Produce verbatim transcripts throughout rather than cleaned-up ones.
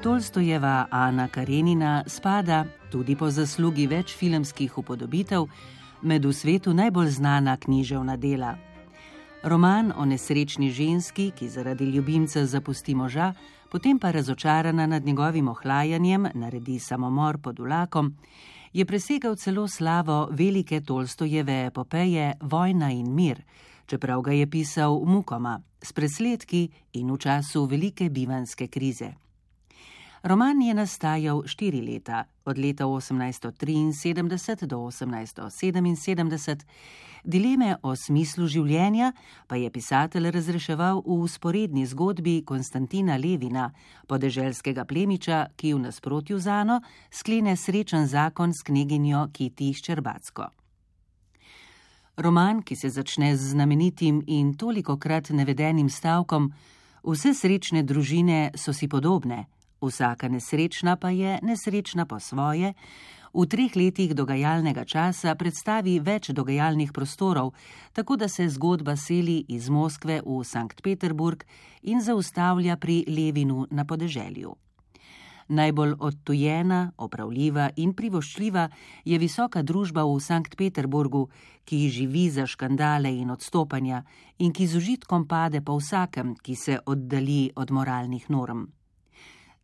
Tolstojeva Ana Karenina spada, tudi po zaslugi več filmskih upodobitev, med v svetu najbolj znana književna dela. Roman o nesrečni ženski, ki zaradi ljubimca zapusti moža, potem pa razočarana nad njegovim ohlajanjem naredi samomor pod vlakom, je presegal celo slavo velike Tolstojeve epopeje Vojna in mir, čeprav ga je pisal mukoma, s presledki in v času velike bivanjske krize. Roman je nastajal štiri leta, od leta osemnajststo triinsedemdeset do osemnajststo sedeminsedemdeset, dileme o smislu življenja pa je pisatelj razreševal v vzporedni zgodbi Konstantina Levina, podeželskega plemiča, ki v nasprotju z Ano sklene srečen zakon s kneginjo Kiti Ščerbacko. Roman, ki se začne z znamenitim in tolikokrat navedenim stavkom: vse srečne družine so si podobne, vsaka nesrečna pa je nesrečna po svoje, v treh letih dogajalnega časa predstavi več dogajalnih prostorov, tako da se zgodba seli iz Moskve v Sankt Peterburg in zaustavlja pri Levinu na podeželju. Najbolj odtujena, opravljiva in privoščljiva je visoka družba v Sankt Peterburgu, ki živi za škandale in odstopanja in ki z užitkom pade po vsakem, ki se oddalji od moralnih norm.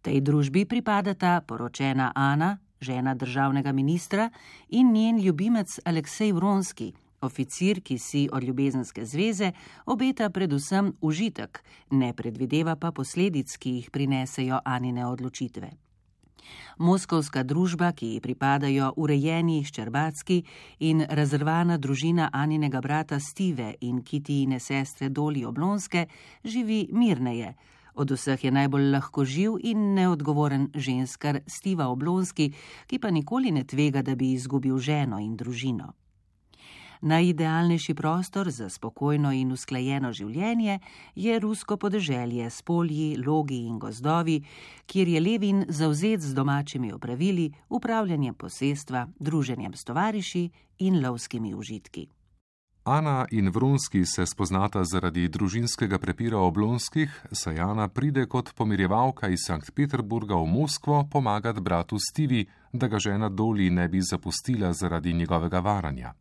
Tej družbi pripadata poročena Ana, žena državnega ministra, in njen ljubimec Aleksej Vronski, oficir, ki si od ljubezenske zveze obeta predvsem užitek, ne predvideva pa posledic, ki jih prinesejo Anine odločitve. Moskovska družba, ki ji pripadajo urejeni Ščerbacki in razrvana družina Aninega brata Stive in Kitijine sestre Doli Oblonske, živi mirneje. Od vseh je najbolj lahkoživ in neodgovoren ženskar Stiva Oblonski, ki pa nikoli ne tvega, da bi izgubil ženo in družino. Najidealnejši prostor za spokojno in usklajeno življenje je rusko podeželje s polji, logi in gozdovi, kjer je Levin zavzet z domačimi opravili, upravljanjem posestva, druženjem s tovariši in lovskimi užitki. Ana in Vronski se spoznata zaradi družinskega prepira Oblonskih, saj Ana pride kot pomirjevalka iz Sankt Peterburga v Moskvo pomagat bratu Stivi, da ga žena Doli ne bi zapustila zaradi njegovega varanja.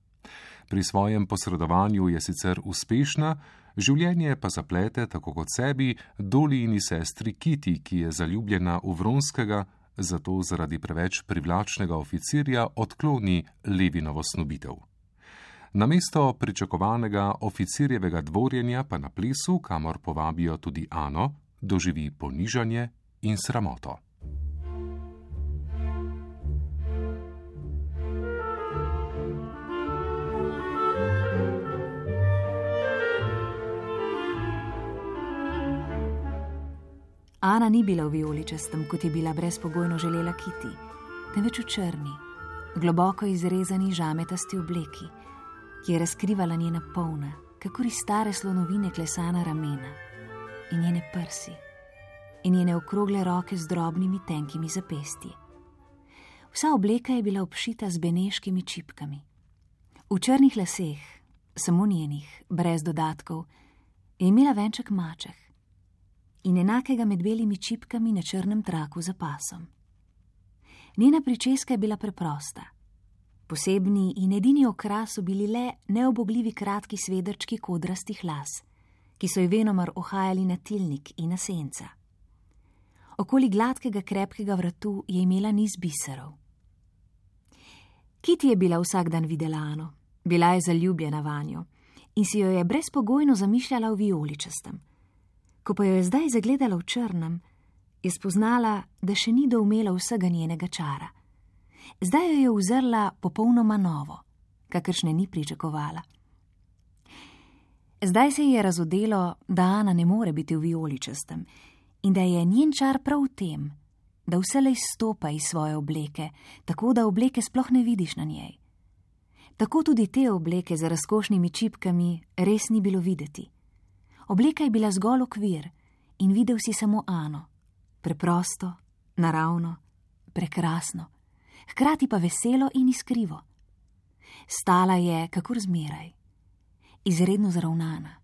Pri svojem posredovanju je sicer uspešna, življenje pa zaplete, tako kot sebi, Dolijini sestri Kiti, ki je zaljubljena v Vronskega, zato zaradi preveč privlačnega oficirja odkloni Levinovo snubitev. Namesto pričakovanega oficirjevega dvorjenja pa na plesu, kamor povabijo tudi Ano, doživi ponižanje in sramoto. Ana ni bila v vijoličastem, kot je bila brezpogojno želela Kiti, temveč v črni, globoko izrezani žametasti obleki, ki je razkrivala njena polna, kakor iz stare slonovine klesana ramena, in njene prsi, in njene okrogle roke z drobnimi tenkimi zapestji. Vsa obleka je bila obšita z beneškimi čipkami. V črnih laseh, samo njenih, brez dodatkov, je imela venček mačeh in enakega med belimi čipkami na črnem traku za pasom. Njena pričeska je bila preprosta. Posebni in edini okras so bili le neobogljivi kratki svedrčki kodrastih las, ki so ji venomer ohajali na tilnik in na senca. Okoli gladkega krepkega vratu je imela niz biserov. Kiti je bila vsak dan videla Ano, bila je zaljubljena vanjo in si jo je brezpogojno zamišljala v vijoličastem. Ko pa jo je zdaj zagledala v črnem, je spoznala, da še ni doumela vsega njenega čara. Zdaj jo je uzrla popolnoma novo, kakršne ni pričakovala. Zdaj se ji je razodelo, da Ana ne more biti v vijoličastem in da je njen čar prav v tem, da vselej stopa iz svoje obleke, tako da obleke sploh ne vidiš na njej. Tako tudi te obleke z razkošnimi čipkami res ni bilo videti. Obleka je bila zgolj okvir in videl si samo Ano, preprosto, naravno, prekrasno, hkrati pa veselo in iskrivo. Stala je, kakor zmeraj, izredno zravnana,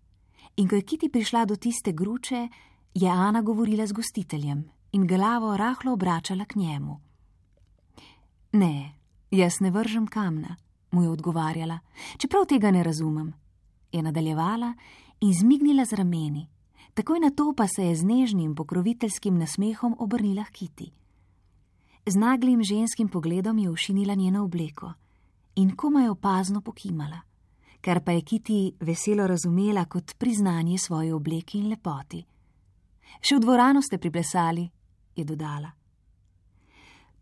in ko je Kiti prišla do tiste gruče, je Ana govorila z gostiteljem in glavo rahlo obračala k njemu. Ne, jaz ne vržem kamna, mu je odgovarjala, čeprav tega ne razumem, je nadaljevala in zmignila z rameni. Takoj na to pa se je z nežnim pokroviteljskim nasmehom obrnila k Kiti. Z naglim ženskim pogledom je ošinila njeno obleko in komaj opazno pokimala, kar pa je Kiti veselo razumela kot priznanje svoje obleki in lepoti. Še v dvorano ste priplesali, je dodala.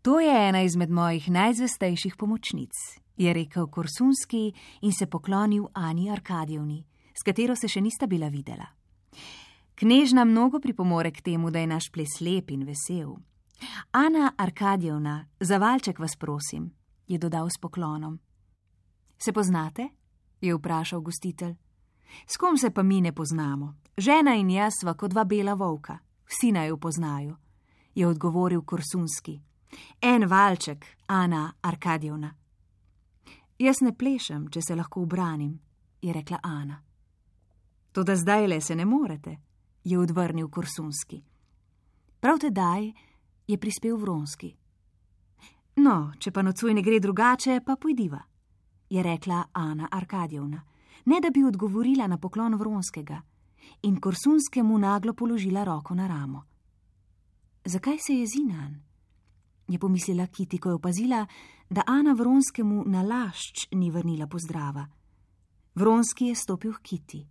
To je ena izmed mojih najzvestejših pomočnic, je rekel Korsunski in se poklonil Ani Arkadijevni, s katero se še nista bila videla. Knežna mnogo pripomore k temu, da je naš ples lep in vesel. Ana Arkadijevna, za valček vas prosim, je dodal s poklonom. Se poznate? Je vprašal gostitelj. S kom se pa mi ne poznamo? Žena in jaz sva kot dva bela volka, vsi naj jo poznajo, je odgovoril Korsunski. En valček, Ana Arkadijevna. Jaz ne plešem, če se lahko ubranim, je rekla Ana. Toda zdajle se ne morete, je odvrnil Korsunski. Prav tedaj je prispel Vronski. No, če pa nocoj ne gre drugače, pa pojdiva, je rekla Ana Arkadijevna, ne da bi odgovorila na poklon Vronskega, in Korsunskemu naglo položila roko na ramo. Zakaj se jezi nanj? Je pomislila Kiti, ko je opazila, da Ana Vronskemu na lašč ni vrnila pozdrava. Vronski je stopil k Kiti,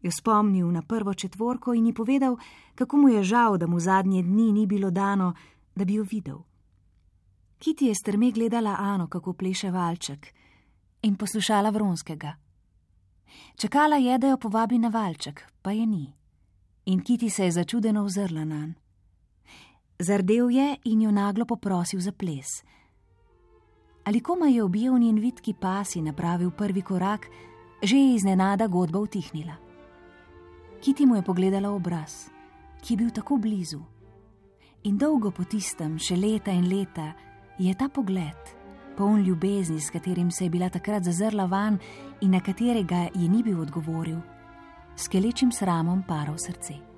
jo spomnil na prvo četvorko in ji povedal, kako mu je žal, da mu zadnje dni ni bilo dano, da bi jo videl. Kiti je strme gledala Ano, kako pleše valček, in poslušala Vronskega. Čakala je, da jo povabi na valček, pa je ni. In Kiti se je začudeno ozrla nanj. Zardel je in jo naglo poprosil za ples. Ali komaj je objel njen vitki pas in napravil prvi korak, že je iznenada godba utihnila. Kiti mu je pogledala obraz, ki je bil tako blizu. In dolgo po tistem, še leta in leta, je ta pogled, poln ljubezni, s katerim se je bila takrat zazrla van in na katerega ji ni bil odgovoril, s kelečim sramom paral srce.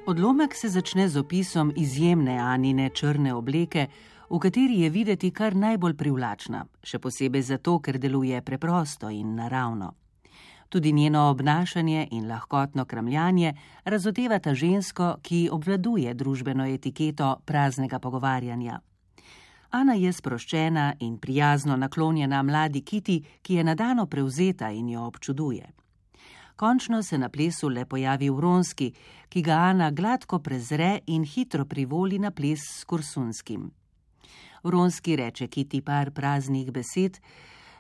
Odlomek se začne z opisom izjemne Anine črne obleke, v kateri je videti kar najbolj privlačna, še posebej zato, ker deluje preprosto in naravno. Tudi njeno obnašanje in lahkotno kramljanje razodevata žensko, ki obvladuje družbeno etiketo praznega pogovarjanja. Ana je sproščena in prijazno naklonjena mladi Kiti, ki je nadano prevzeta in jo občuduje. Končno se na plesu le pojavi Vronski, ki ga Ana gladko prezre in hitro privoli na ples s Korsunskim. Vronski reče Kiti par praznih besed,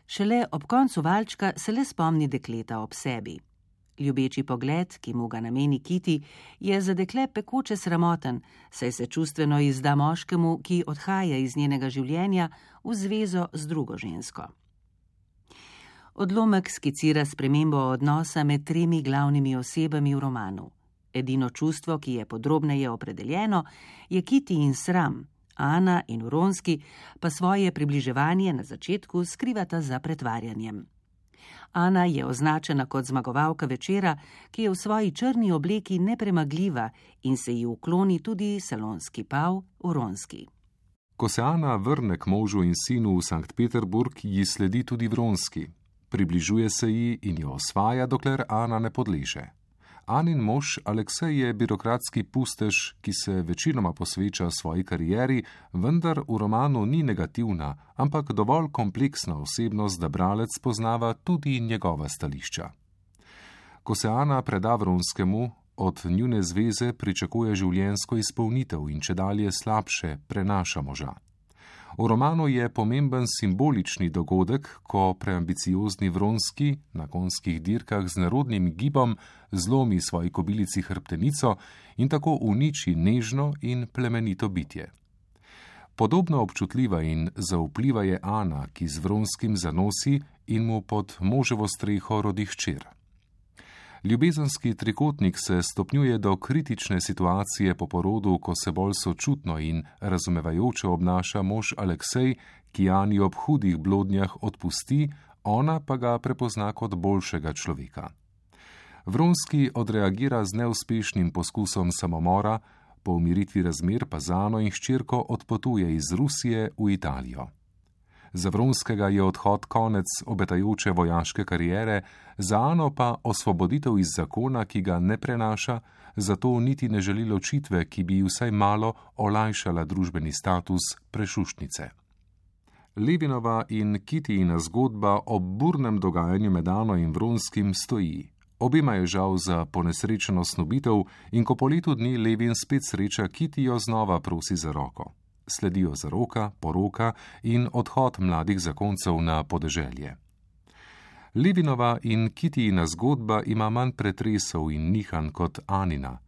šele ob koncu valčka se le spomni dekleta ob sebi. Ljubeči pogled, ki mu ga nameni Kiti, je za dekle pekoče sramoten, saj se čustveno izda moškemu, ki odhaja iz njenega življenja v zvezo z drugo žensko. Odlomek skicira spremembo odnosa med tremi glavnimi osebami v romanu. Edino čustvo, ki je podrobneje opredeljeno, je Kiti in sram, Ana in Vronski pa svoje približevanje na začetku skrivata za pretvarjanjem. Ana je označena kot zmagovalka večera, ki je v svoji črni obleki nepremagljiva in se ji ukloni tudi salonski pav Vronski. Ko se Ana vrne k možu in sinu v Sankt Peterburg, ji sledi tudi Vronski. Približuje se ji in jo osvaja, dokler Ana ne podleže. Anin mož Aleksej je birokratski pustež, ki se večinoma posveča svoji karieri, vendar v romanu ni negativna, ampak dovolj kompleksna osebnost, da bralec poznava tudi njegova stališča. Ko se Ana preda Vronskemu, od njune zveze pričakuje življenjsko izpolnitev in čedalje slabše prenaša moža. V romanu je pomemben simbolični dogodek, ko preambiciozni Vronski na konjskih dirkah z nerodnim gibom zlomi svoji kobilici hrbtenico in tako uniči nežno in plemenito bitje. Podobno občutljiva in zaupljiva je Ana, ki z Vronskim zanosi in mu pod moževo streho rodi hčer. Ljubezenski trikotnik se stopnjuje do kritične situacije po porodu, ko se bolj sočutno in razumevajoče obnaša mož Aleksej, ki Ani ob hudih blodnjah odpusti, ona pa ga prepozna kot boljšega človeka. Vronski odreagira z neuspešnim poskusom samomora, po umiritvi razmer pa z Ano in hčerko odpotuje iz Rusije v Italijo. Za Vronskega je odhod konec obetajoče vojaške kariere, za Ano pa osvoboditev iz zakona, ki ga ne prenaša, zato niti ne želi ločitve, ki bi vsaj malo olajšala družbeni status prešuštnice. Levinova in Kitijina zgodba ob burnem dogajanju med Ano in Vronskim stoji. Obema je žal za ponesrečeno snubitev in ko po letu dni Levin spet sreča Kitijo, znova prosi za roko. Sledijo zaroka, poroka in odhod mladih zakoncev na podeželje. Levinova in Kitijina zgodba ima manj pretresov in nihanj kot Anina.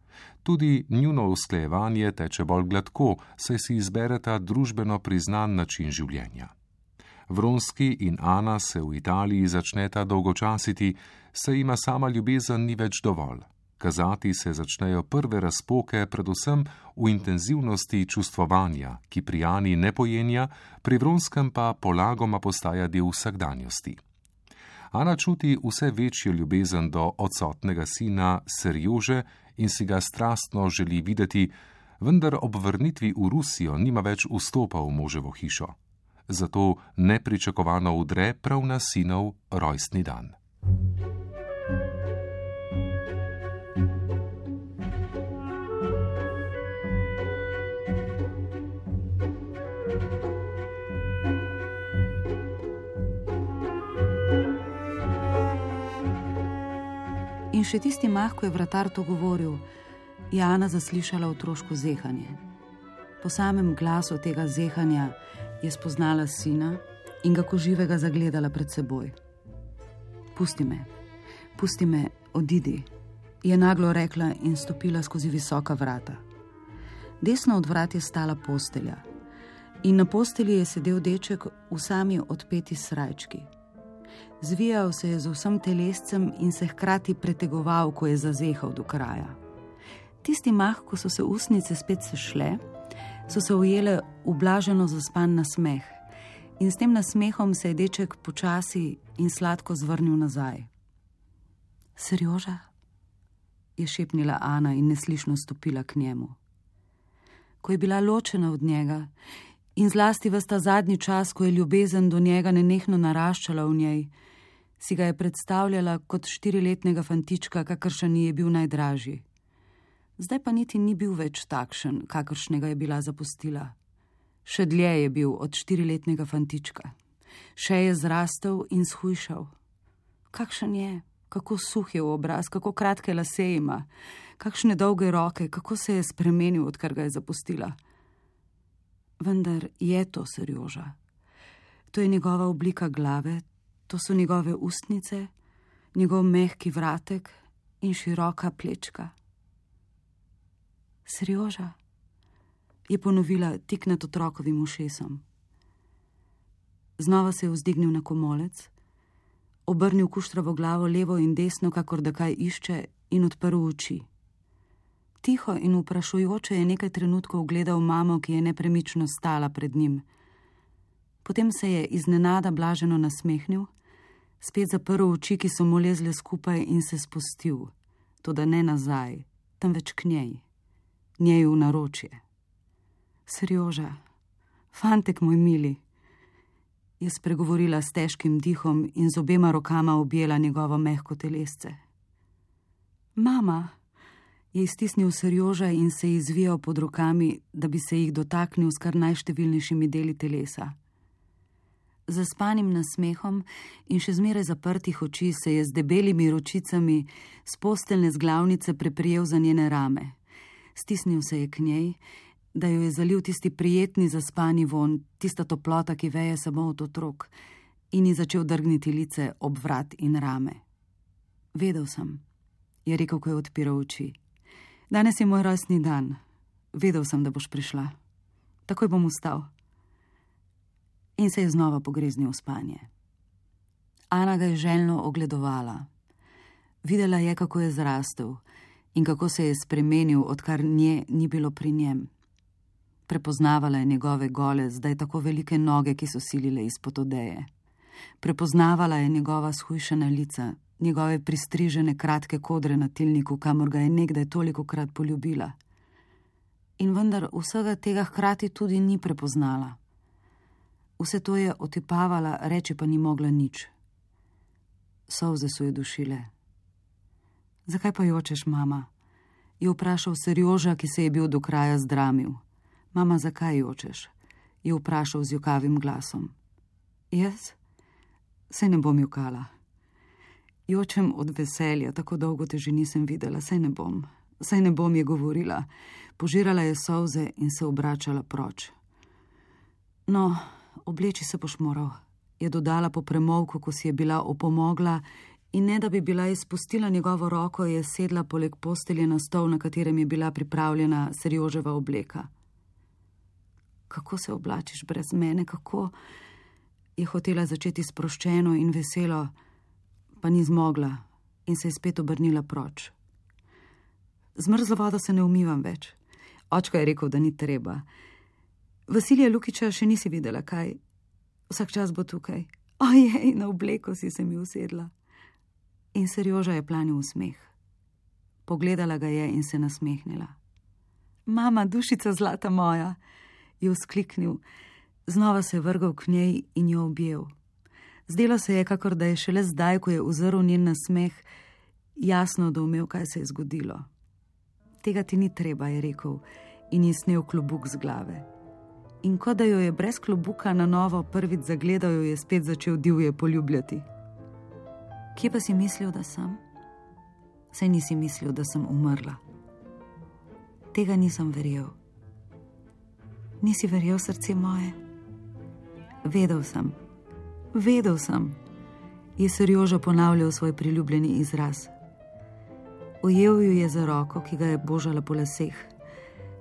Tudi njuno usklajevanje teče bolj gladko, saj si izbereta družbeno priznan način življenja. Vronski in Ana se v Italiji začneta dolgočasiti, saj ima sama ljubezen ni več dovolj. Kazati se začnejo prve razpoke, predvsem v intenzivnosti čustvovanja, ki pri Ani ne pojenja, pri Vronskem pa polagoma postaja del vsakdanjosti. Ana čuti vse večjo ljubezen do odsotnega sina Serjože in si ga strastno želi videti, vendar ob vrnitvi v Rusijo nima več vstopa v moževo hišo. Zato nepričakovano udre prav na sinov rojstni dan. In še tisti mah, ko je vratar to govoril, je Ana zaslišala otroško zehanje. Po samem glasu tega zehanja je spoznala sina in ga ko živega zagledala pred seboj. Pusti me, pusti me, odidi, je naglo rekla in stopila skozi visoka vrata. Desno od vrat je stala postelja in na postelji je sedel deček v sami odpeti srajčki. Zvijal se je z vsem telescem in se hkrati pretegoval, ko je zazehal do kraja. Tisti mah, ko so se ustnice spet sešle, so se ujele v blaženo zaspan nasmeh in s tem nasmehom se je deček počasi in sladko zvrnil nazaj. Serjoža, je šepnila Ana in neslišno stopila k njemu. Ko je bila ločena od njega in zlasti ves ta zadnji čas, ko je ljubezen do njega nenehno naraščala v njej, si ga je predstavljala kot štiriletnega fantička, kakršen ji je bil najdražji. Zdaj pa niti ni bil več takšen, kakršnega je bila zapustila. Še dlje je bil od štiriletnega fantička. Še je zrastel in shujšal. Kakšen je, kako suh je v obraz, kako kratke lase ima, kakšne dolge roke, kako se je spremenil, odkar ga je zapustila. Vendar je to Serjoža. To je njegova oblika glave, to so njegove ustnice, njegov mehki vratek in široka plečka. Serjoža, je ponovila tik nad otrokovim ušesom. Znova se je vzdignil na komolec, obrnil kuštravo glavo levo in desno, kakor da kaj išče, in odprl oči. Tiho in vprašujoče je nekaj trenutkov gledal mamo, ki je nepremično stala pred njim. Potem se je iznenada blaženo nasmehnil, spet zaprl oči, ki so mu lezle skupaj, in se spustil, toda ne nazaj, temveč k njej, njej v naročje. Serjoža, fantek moj mili, je spregovorila s težkim dihom in z obema rokama objela njegovo mehko telesce. Mama, je iztisnil Serjoža in se izvijal pod rokami, da bi se jih dotaknil s kar najštevilnejšimi deli telesa. Zaspanim nasmehom in še zmeraj zaprtih oči se je z debelimi ročicami s posteljne zglavnice preprijel za njene rame. Stisnil se je k njej, da jo je zalil tisti prijetni zaspani von, tista toplota, ki veje samo od otrok, in ji začel drgniti lice ob vrat in rame. Vedel sem, je rekel, ko je odpiral oči. Danes je moj rojstni dan. Vedel sem, da boš prišla. Takoj bom vstal. In se je znova pogreznil v spanje. Ana ga je željno ogledovala. Videla je, kako je zrastel in kako se je spremenil, odkar nje ni bilo pri njem. Prepoznavala je njegove gole, zdaj tako velike noge, ki so silile izpod odeje. Prepoznavala je njegova shujšana lica, njegove pristrižene kratke kodre na tilniku, kamor ga je nekdaj tolikokrat poljubila. In vendar vsega tega hkrati tudi ni prepoznala. Vse to je otipavala, reči pa ni mogla nič. Solze so jo dušile. Zakaj pa jočeš, mama? Je vprašal Serjoža, ki se je bil do kraja zdramil. Mama, zakaj jočeš? Je vprašal z jokavim glasom. Jaz? Saj ne bom jokala. Jočem od veselja, tako dolgo te že nisem videla, saj ne bom. Saj ne bom, je govorila. Požirala je solze in se obračala proč. No, obleči se boš moral, je dodala po premolku, ko si je bila opomogla, in ne da bi bila izpustila njegovo roko, je sedla poleg postelje na stol, na katerem je bila pripravljena Serjoževa obleka. Kako se oblačiš brez mene, kako? Je hotela začeti sproščeno in veselo, pa ni zmogla in se je spet obrnila proč. Z mrzlo vodo se ne umivam več. Očka je rekel, da ni treba. Vasilija Lukiča še nisi videla, kaj? Vsak čas bo tukaj. Ojej, na obleko si se mi usedla. In Serjoža je planil v smeh. Pogledala ga je in se nasmehnila. Mama, dušica zlata moja, je vzkliknil. Znova se je vrgal k njej in jo objel. Zdelo se je, kakor da je šele zdaj, ko je uzrl njen nasmeh, jasno doumel, kaj se je zgodilo. Tega ti ni treba, je rekel in je snel klobuk z glave. In ko da jo je brez klobuka na novo prvič zagledal, jo je spet začel divje poljubljati. Kje pa si mislil, da sem? Saj nisi mislil, da sem umrla. Tega nisem verjel. Nisi verjel, srce moje? Vedel sem, vedel sem, je Serjoža ponavljal svoj priljubljeni izraz. Ujel jo je za roko, ki ga je božala po laseh,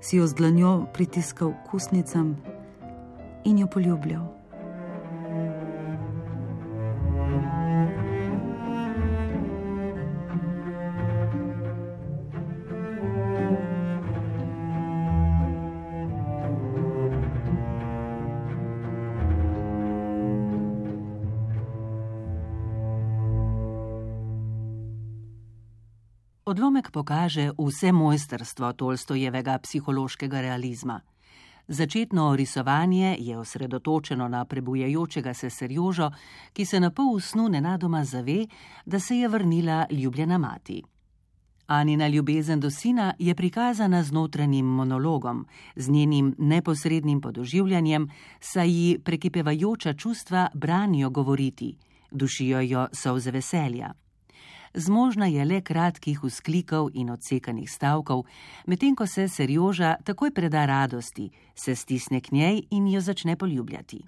si jo z dlanjo pritiskal k ustnicam in jo poljubljal. Odlomek pokaže vse mojstrstvo Tolstojevega psihološkega realizma. Začetno risovanje je osredotočeno na prebujajočega se Serjožo, ki se na pol snu nenadoma zave, da se je vrnila ljubljena mati. Anina ljubezen do sina je prikazana z notranjim monologom, z njenim neposrednim podoživljanjem, saj ji prekipevajoča čustva branijo govoriti, dušijo jo solze veselja. Zmožna je le kratkih vzklikov in odsekanih stavkov, medtem ko se Serjoža takoj preda radosti, se stisne k njej in jo začne poljubljati.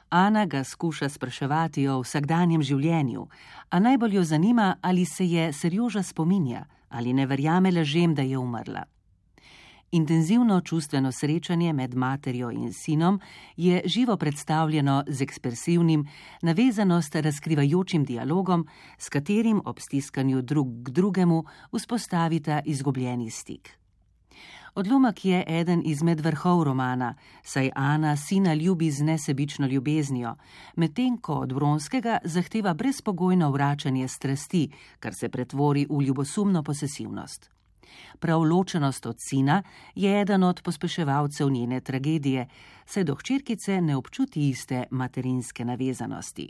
Ana ga skuša spraševati o vsakdanjem življenju, a najbolj jo zanima, ali se je Serjoža spominja, ali ne verjame lažem, da je umrla. Intenzivno čustveno srečanje med materjo in sinom je živo predstavljeno z ekspresivnim, navezanost razkrivajočim dialogom, s katerim ob stiskanju drug k drugemu vzpostavita izgubljeni stik. Odlomek je eden izmed vrhov romana, saj Ana sina ljubi z nesebično ljubeznijo, medtem ko od Vronskega zahteva brezpogojno vračanje strasti, kar se pretvori v ljubosumno posesivnost. Prav ločenost od sina je eden od pospeševalcev njene tragedije, saj do hčerkice ne občuti iste materinske navezanosti.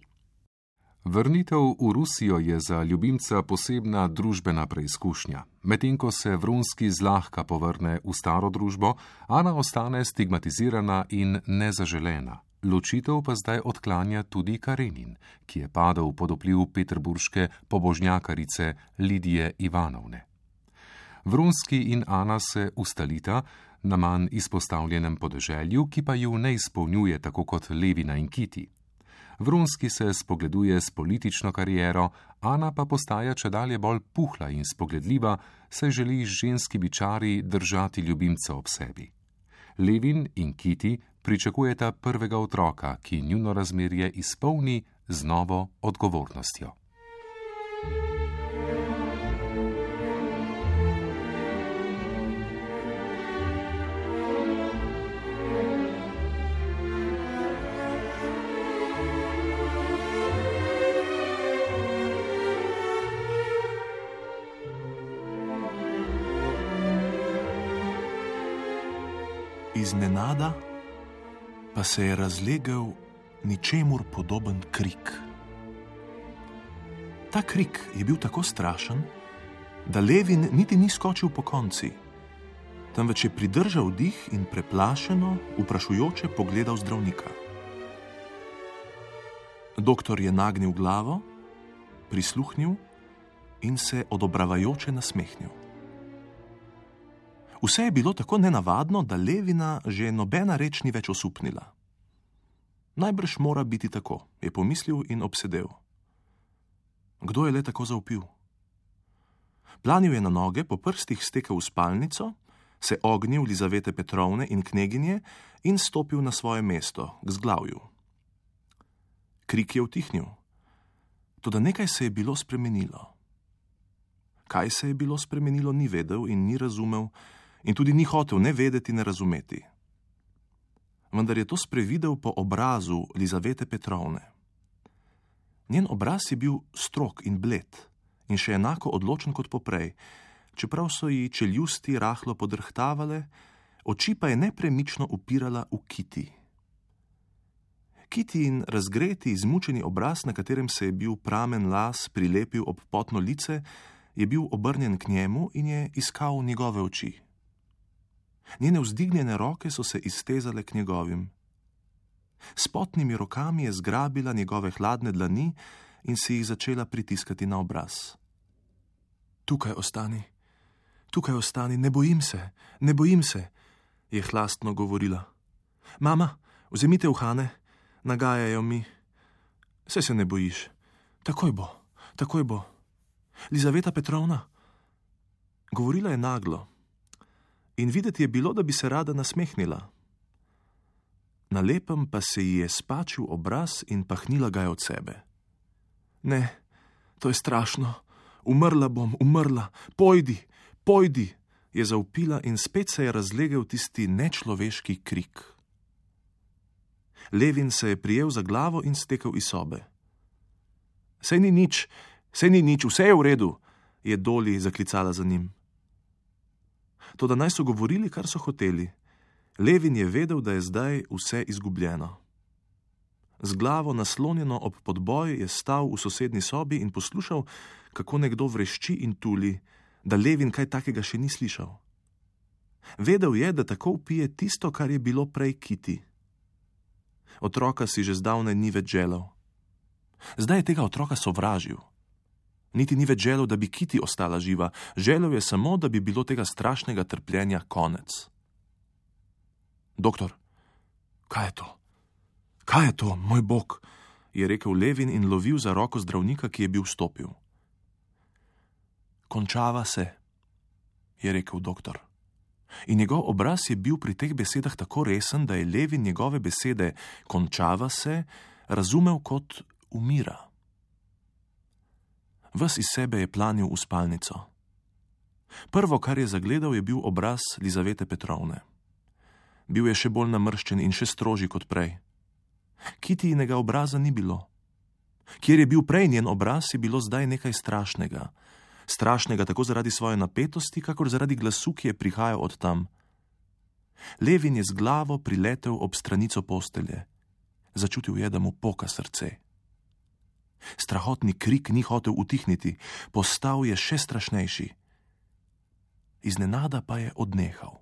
Vrnitev v Rusijo je za ljubimca posebna družbena preizkušnja. Medtem ko se Vronski zlahka povrne v staro družbo, Ana ostane stigmatizirana in nezaželena. Ločitev pa zdaj odklanja tudi Karenin, ki je padel pod vpliv peterburške pobožnjakarice Lidije Ivanovne. Vronski in Ana se ustalita na manj izpostavljenem podeželju, ki pa ju ne izpolnjuje tako kot Levina in Kitty. Vronski se spogleduje s politično kariero, Ana pa postaja čedalje bolj puhla in spogledljiva, saj želi z ženskimi čari držati ljubimca ob sebi. Levin in Kitty pričakujeta prvega otroka, ki njuno razmerje izpolni z novo odgovornostjo. Iznenada pa se je razlegel ničemur podoben krik. Ta krik je bil tako strašen, da Levin niti ni skočil po konci, temveč je pridržal dih in preplašeno, vprašujoče pogledal zdravnika. Doktor je nagnil glavo, prisluhnil in se odobravajoče nasmehnil. Vse je bilo tako nenavadno, da Levina že nobena reč ni več osupnila. Najbrž mora biti tako, je pomislil in obsedel. Kdo je le tako zavpil? Planil je na noge, po prstih stekel v spalnico, se ognil Lizavete Petrovne in kneginje in stopil na svoje mesto, k zglavju. Krik je utihnil, toda nekaj se je bilo spremenilo. Kaj se je bilo spremenilo, ni vedel in ni razumel in tudi ni hotel ne vedeti, ne razumeti. Vendar je to sprevidel po obrazu Lizavete Petrovne. Njen obraz je bil strog in bled in še enako odločen kot poprej, čeprav so ji čeljusti rahlo podrhtavale, oči pa je nepremično upirala v Kiti. Kitijin razgreti, izmučeni obraz, na katerem se je bil pramen las prilepil ob potno lice, je bil obrnjen k njemu in je iskal njegove oči. Njene vzdignjene roke so se iztezale k njegovim. S potnimi rokami je zgrabila njegove hladne dlani in si jih začela pritiskati na obraz. Tukaj ostani, tukaj ostani, ne bojim se, ne bojim se, je hlastno govorila. Mama, vzemite uhane, nagajajo mi. Saj se ne bojiš, takoj bo, takoj bo. Lizaveta Petrovna. Govorila je naglo in videti je bilo, da bi se rada nasmehnila. Na lepem pa se ji je spačil obraz in pahnila ga je od sebe. Ne, to je strašno, umrla bom, umrla, pojdi, pojdi, je zavpila in spet se je razlegel tisti nečloveški krik. Levin se je prijel za glavo in stekel iz sobe. Sej ni nič, sej ni nič, vse je v redu, je Doli zaklicala za njim. Toda naj so govorili, kar so hoteli. Levin je vedel, da je zdaj vse izgubljeno. Z glavo naslonjeno ob podboj je stal v sosednji sobi in poslušal, kako nekdo vrešči in tuli, da Levin kaj takega še ni slišal. Vedel je, da tako vpije tisto, kar je bilo prej Kiti. Otroka si že zdavnaj ni več želel. Zdaj je tega otroka sovražil. Niti ni več želel, da bi Kiti ostala živa, želel je samo, da bi bilo tega strašnega trpljenja konec. Doktor, kaj je to? Kaj je to, moj bog? Je rekel Levin in lovil za roko zdravnika, ki je bil vstopil. Končava se, je rekel doktor. In njegov obraz je bil pri teh besedah tako resen, da je Levin njegove besede končava se razumel kot umira. Ves iz sebe je planil v spalnico. Prvo, kar je zagledal, je bil obraz Lizavete Petrovne. Bil je še bolj namrščen in še strožji kot prej. Kitijinega obraza ni bilo. Kjer je bil prej njen obraz, je bilo zdaj nekaj strašnega. Strašnega tako zaradi svoje napetosti, kakor zaradi glasu, ki je prihajal od tam. Levin je z glavo priletel ob stranico postelje. Začutil je, da mu poka srce. Strahotni krik ni hotel utihniti, postal je še strašnejši. Iznenada pa je odnehal.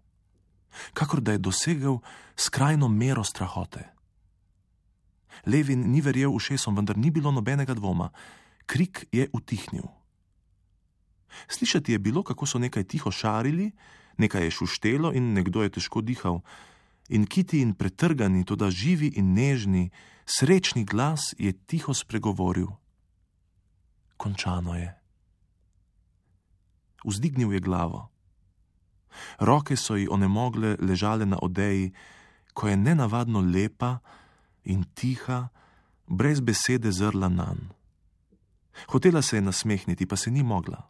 Kakor da je dosegel skrajno mero strahote. Levin ni verjel ušesom, vendar ni bilo nobenega dvoma. Krik je utihnil. Slišati je bilo, kako so nekaj tiho šarili, nekaj je šuštelo in nekdo je težko dihal. In Kitijin pretrgani, toda živi in nežni, srečni glas je tiho spregovoril. Končano je. Vzdignil je glavo. Roke so ji onemogle ležale na odeji, ko je nenavadno lepa in tiha, brez besede zrla nanj. Hotela se je nasmehniti, pa se ni mogla.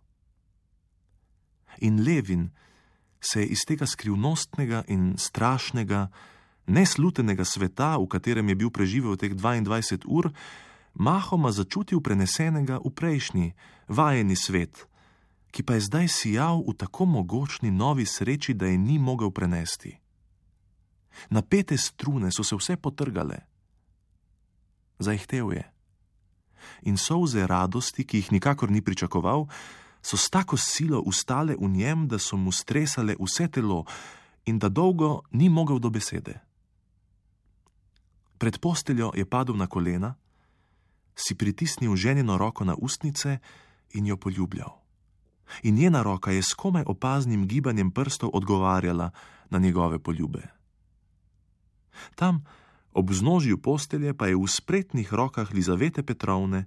In Levin se je iz tega skrivnostnega in strašnega, neslutenega sveta, v katerem je bil preživel teh dvaindvajset ur, mahoma začutil prenesenega v prejšnji, vajeni svet, ki pa je zdaj sijal v tako mogočni novi sreči, da je ni mogel prenesti. Napete strune so se vse potrgale. Zaihtel je. In solze radosti, ki jih nikakor ni pričakoval, so s tako silo ustale v njem, da so mu stresale vse telo in da dolgo ni mogel do besede. Pred posteljo je padel na kolena, si pritisnil ženino roko na ustnice in jo poljubljal. In njena roka je s komaj opaznim gibanjem prstov odgovarjala na njegove poljube. Tam, ob vznožju postelje, pa je v spretnih rokah Lizavete Petrovne,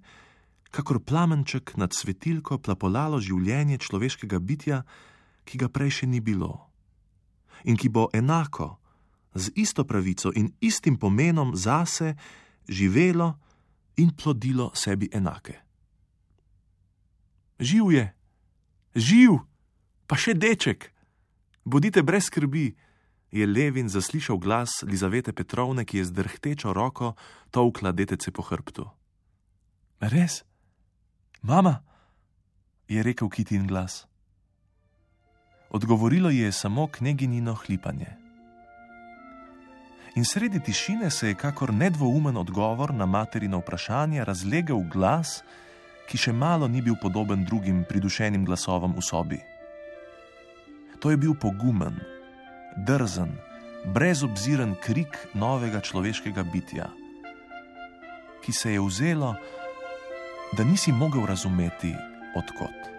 kakor plamenček nad svetilko, plapolalo življenje človeškega bitja, ki ga prej še ni bilo. In ki bo enako, z isto pravico in istim pomenom zase živelo in plodilo sebi enake. Živ je, živ, pa še deček, bodite brez skrbi, je Levin zaslišal glas Lizavete Petrovne, ki je z drhtečo roko tolkla detece po hrbtu. Res? Mama, je rekel Kitin glas. Odgovorilo ji je samo kneginino hlipanje. In sredi tišine se je kakor nedvoumen odgovor na materino vprašanje razlegel glas, ki še malo ni bil podoben drugim pridušenim glasovom v sobi. To je bil pogumen, drzen, brezobziren krik novega človeškega bitja, ki se je vzelo, da nisi mogel razumeti, od kod.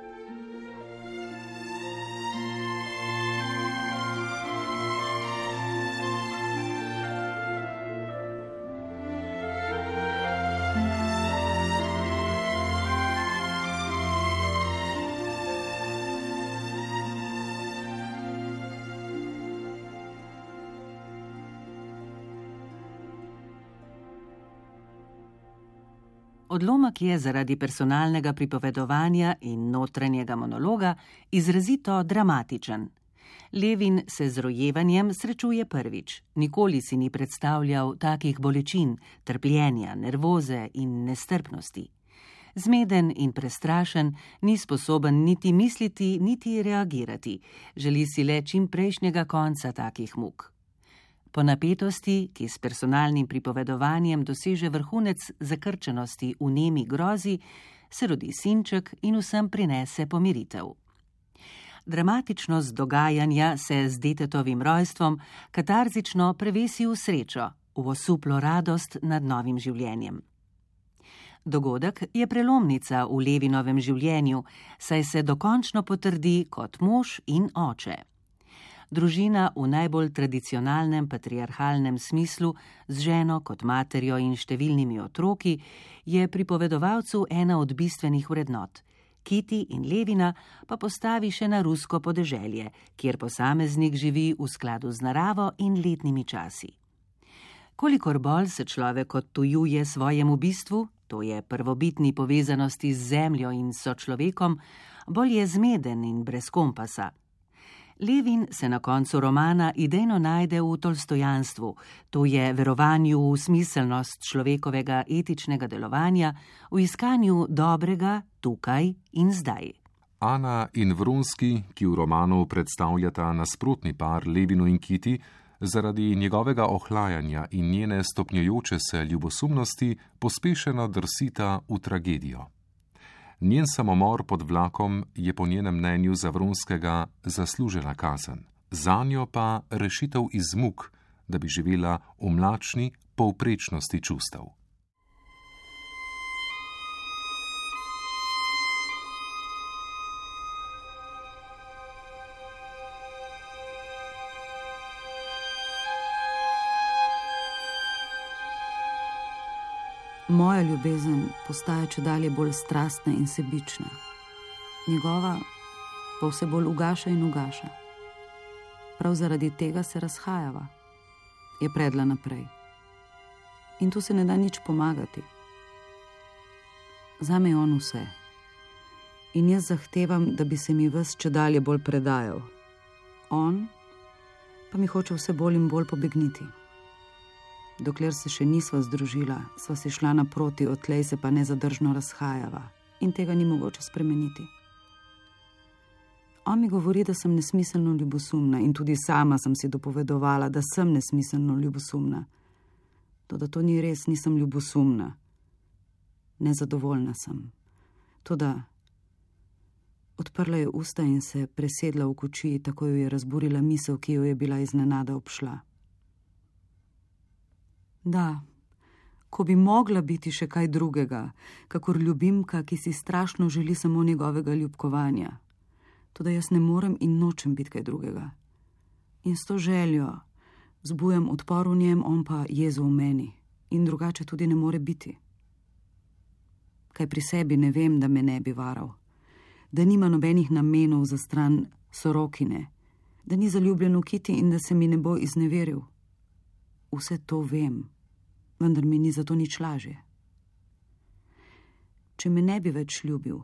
Odlomek je zaradi personalnega pripovedovanja in notranjega monologa izrazito dramatičen. Levin se z rojevanjem srečuje prvič. Nikoli si ni predstavljal takih bolečin, trpljenja, nervoze in nestrpnosti. Zmeden in prestrašen, ni sposoben niti misliti, niti reagirati. Želi si le čim prejšnjega konca takih muk. Po napetosti, ki s personalnim pripovedovanjem doseže vrhunec zakrčenosti v nemi grozi, se rodi sinček in vsem prinese pomiritev. Dramatičnost dogajanja se z detetovim rojstvom katarzično prevesi v srečo, v osuplo radost nad novim življenjem. Dogodek je prelomnica v Levinovem življenju, saj se dokončno potrdi kot mož in oče. Družina v najbolj tradicionalnem patriarhalnem smislu, z ženo kot materjo in številnimi otroki, je pripovedovalcu ena od bistvenih vrednot. Kiti in Levina pa postavi še na rusko podeželje, kjer posameznik živi v skladu z naravo in letnimi časi. Kolikor bolj se človek odtujuje svojemu bistvu, to je prvobitni povezanosti z zemljo in sočlovekom, bolj je zmeden in brez kompasa. Levin se na koncu romana idejno najde v tolstojanstvu, to je verovanju v smiselnost človekovega etičnega delovanja, v iskanju dobrega tukaj in zdaj. Ana in Vronski, ki v romanu predstavljata nasprotni par Levinu in Kiti, zaradi njegovega ohlajanja in njene stopnjujoče se ljubosumnosti pospešeno drsita v tragedijo. Njen samomor pod vlakom je po njenem mnenju za Vronskega zaslužena kazen, zanjo pa rešitev iz muk, da bi živela v mlačni povprečnosti čustev. Moja ljubezen postaja čedalje bolj strastna in sebična. Njegova pa vse bolj ugaša in ugaša. Prav zaradi tega se razhajava, je predla naprej. In tu se ne da nič pomagati. Zame je on vse. In jaz zahtevam, da bi se mi ves čedalje bolj predajal. On pa mi hoče vse bolj in bolj pobegniti. Dokler se še nisva združila, sva si šla naproti, odtlej se pa nezadržno razhajava in tega ni mogoče spremeniti. On mi govori, da sem nesmiselno ljubosumna in tudi sama sem si dopovedovala, da sem nesmiselno ljubosumna. Toda to ni res, nisem ljubosumna. Nezadovoljna sem. Toda odprla je usta in se presedla v kočiji, tako jo je razburila misel, ki jo je bila iznenada obšla. Da, ko bi mogla biti še kaj drugega, kakor ljubimka, ki si strašno želi samo njegovega ljubkovanja. Toda jaz ne morem in nočem biti kaj drugega. In s to željo zbujam odpor v njem, on pa jezo v meni. In drugače tudi ne more biti. Kaj pri sebi ne vem, da me ne bi varal. Da nima nobenih namenov za stran sorokine. Da ni zaljubljen v Kiti in da se mi ne bo izneveril. Vse to vem, vendar mi ni zato nič lažje. Če me ne bi več ljubil,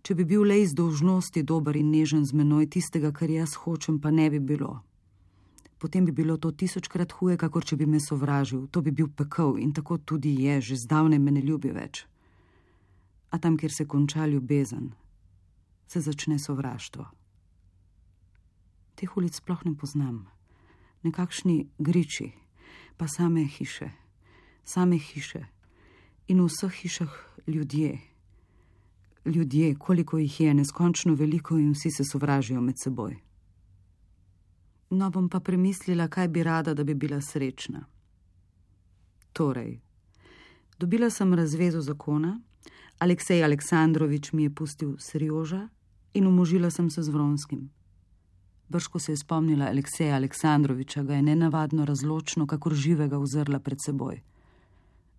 če bi bil le iz dolžnosti dober in nežen z menoj, tistega, kar jaz hočem, pa ne bi bilo. Potem bi bilo to tisočkrat huje, kakor če bi me sovražil. To bi bil pekel in tako tudi je, že zdavnaj me ne ljubi več. A tam, kjer se konča ljubezen, se začne sovraštvo. Teh ulic sploh ne poznam. Nekakšni griči, pa same hiše, same hiše in v vseh hišah ljudje. Ljudje, koliko jih je, neskončno veliko in vsi se sovražijo med seboj. No, bom pa premislila, kaj bi rada, da bi bila srečna. Torej, dobila sem razvezo zakona, Aleksej Aleksandrovič mi je pustil Serjoža in umožila sem se z Vronskim. Brž, ko se je spomnila Alekseja Aleksandroviča, ga je nenavadno razločno, kakor živega uzrla pred seboj.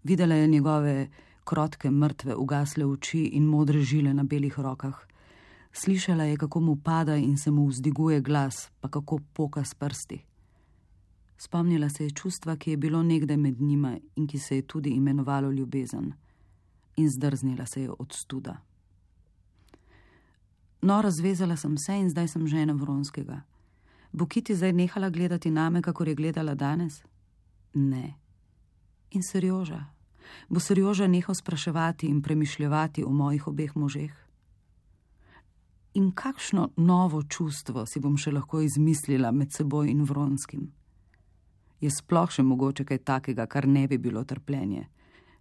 Videla je njegove krotke, mrtve, ugasle oči in modre žile na belih rokah. Slišala je, kako mu pada in se mu vzdiguje glas, pa kako poka s prsti. Spomnila se je čustva, ki je bilo nekdaj med njima in ki se je tudi imenovalo ljubezen. In zdrznila se je od studa. No, razvezala sem se in zdaj sem žena Vronskega. Bo Kiti zdaj nehala gledati name, kakor je gledala danes? Ne. In Serjoža? Bo Serjoža nehal spraševati in premišljevati o mojih obeh možeh? In kakšno novo čustvo si bom še lahko izmislila med seboj in Vronskim? Je sploh še mogoče kaj takega, kar ne bi bilo trpljenje,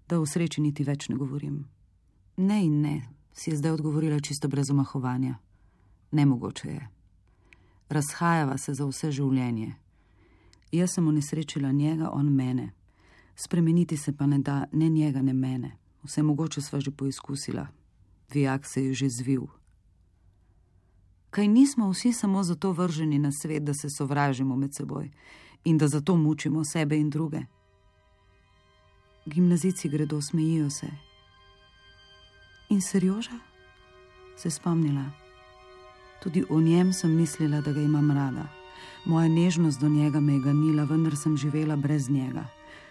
da o sreči niti več ne govorim? Ne in ne, si je zdaj odgovorila čisto brez omahovanja. Nemogoče je. Razhajava se za vse življenje. Jaz sem unesrečila njega, on mene. Spremeniti se pa ne da ne njega, ne mene. Vse mogoče sva že poizkusila. Vijak se je že zvil. Kaj nismo vsi samo zato vrženi na svet, da se sovražimo med seboj in da zato mučimo sebe in druge? Gimnazici gredo, smejijo se. In Serjoža? Se spomnila. Tudi o njem sem mislila, da ga imam rada. Moja nežnost do njega me je ganila, vendar sem živela brez njega.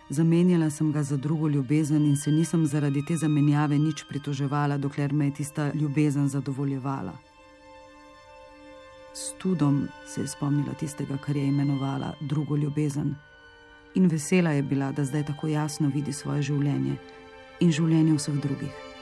Zamenjala sem ga za drugo ljubezen in se nisem zaradi te zamenjave nič pritoževala, dokler me je tista ljubezen zadovoljevala. S tudom se je spomnila tistega, kar je imenovala drugo ljubezen. In vesela je bila, da zdaj tako jasno vidi svoje življenje in življenje vseh drugih.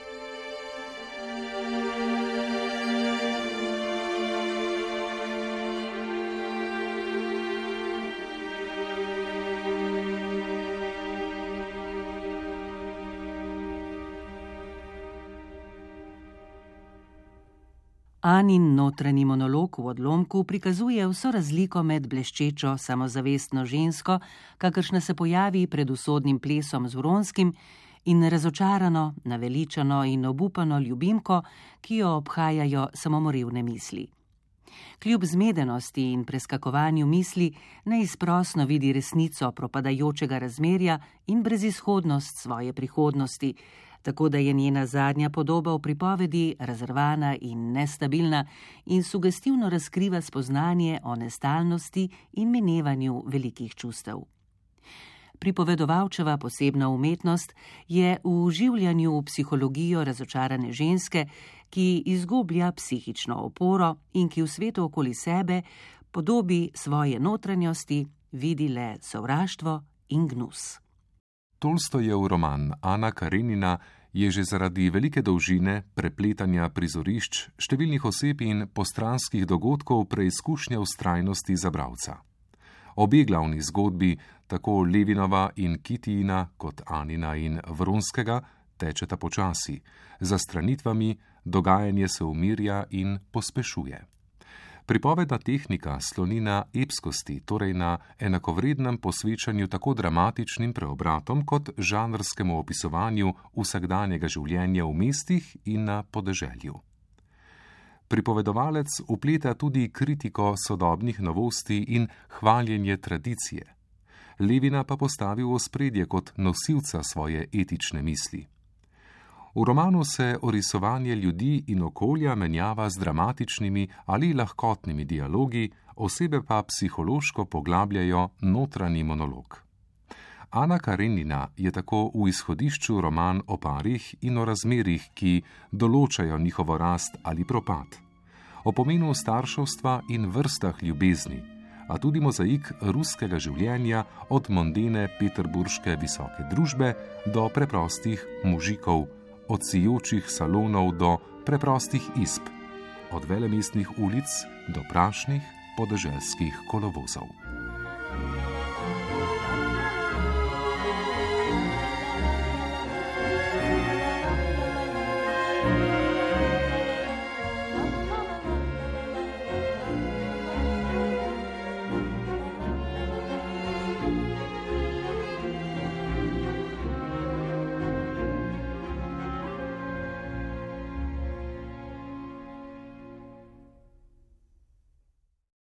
Anin notranji monolog v odlomku prikazuje vso razliko med bleščečo, samozavestno žensko, kakršna se pojavi pred usodnim plesom z Vronskim, in razočarano, naveličano in obupano ljubimko, ki jo obhajajo samomorivne misli. Kljub zmedenosti in preskakovanju misli neizprosno vidi resnico propadajočega razmerja in brezizhodnost svoje prihodnosti, tako da je njena zadnja podoba v pripovedi razrvana in nestabilna in sugestivno razkriva spoznanje o nestalnosti in minevanju velikih čustev. Pripovedovalčeva posebna umetnost je v vživljanju v psihologijo razočarane ženske, ki izgublja psihično oporo in ki v svetu okoli sebe podobi svoje notranjosti vidi le sovraštvo in gnus. Tolstojev roman Ana Karenina je že zaradi velike dolžine, prepletanja prizorišč, številnih oseb in postranskih dogodkov preizkušnja vztrajnosti za bralca. Obe glavni zgodbi, tako Levinova in Kitijina kot Anina in Vronskega, tečeta počasi, za stranitvami dogajanje se umirja in pospešuje. Pripovedna tehnika sloni na epskosti, torej na enakovrednem posvečanju tako dramatičnim preobratom kot žanrskemu opisovanju vsakdanjega življenja v mestih in na podeželju. Pripovedovalec vpleta tudi kritiko sodobnih novosti in hvaljenje tradicije. Levina pa postavi v ospredje kot nosilca svoje etične misli. V romanu se orisovanje ljudi in okolja menjava z dramatičnimi ali lahkotnimi dialogi, osebe pa psihološko poglabljajo notranji monolog. Ana Karenina je tako v izhodišču roman o parih in o razmerih, ki določajo njihovo rast ali propad, o pomenu starševstva in vrstah ljubezni, a tudi mozaik ruskega življenja od mondene peterburške visoke družbe do preprostih mužikov, od sijočih salonov do preprostih izb, od velemestnih ulic do prašnih podeželskih kolovozov.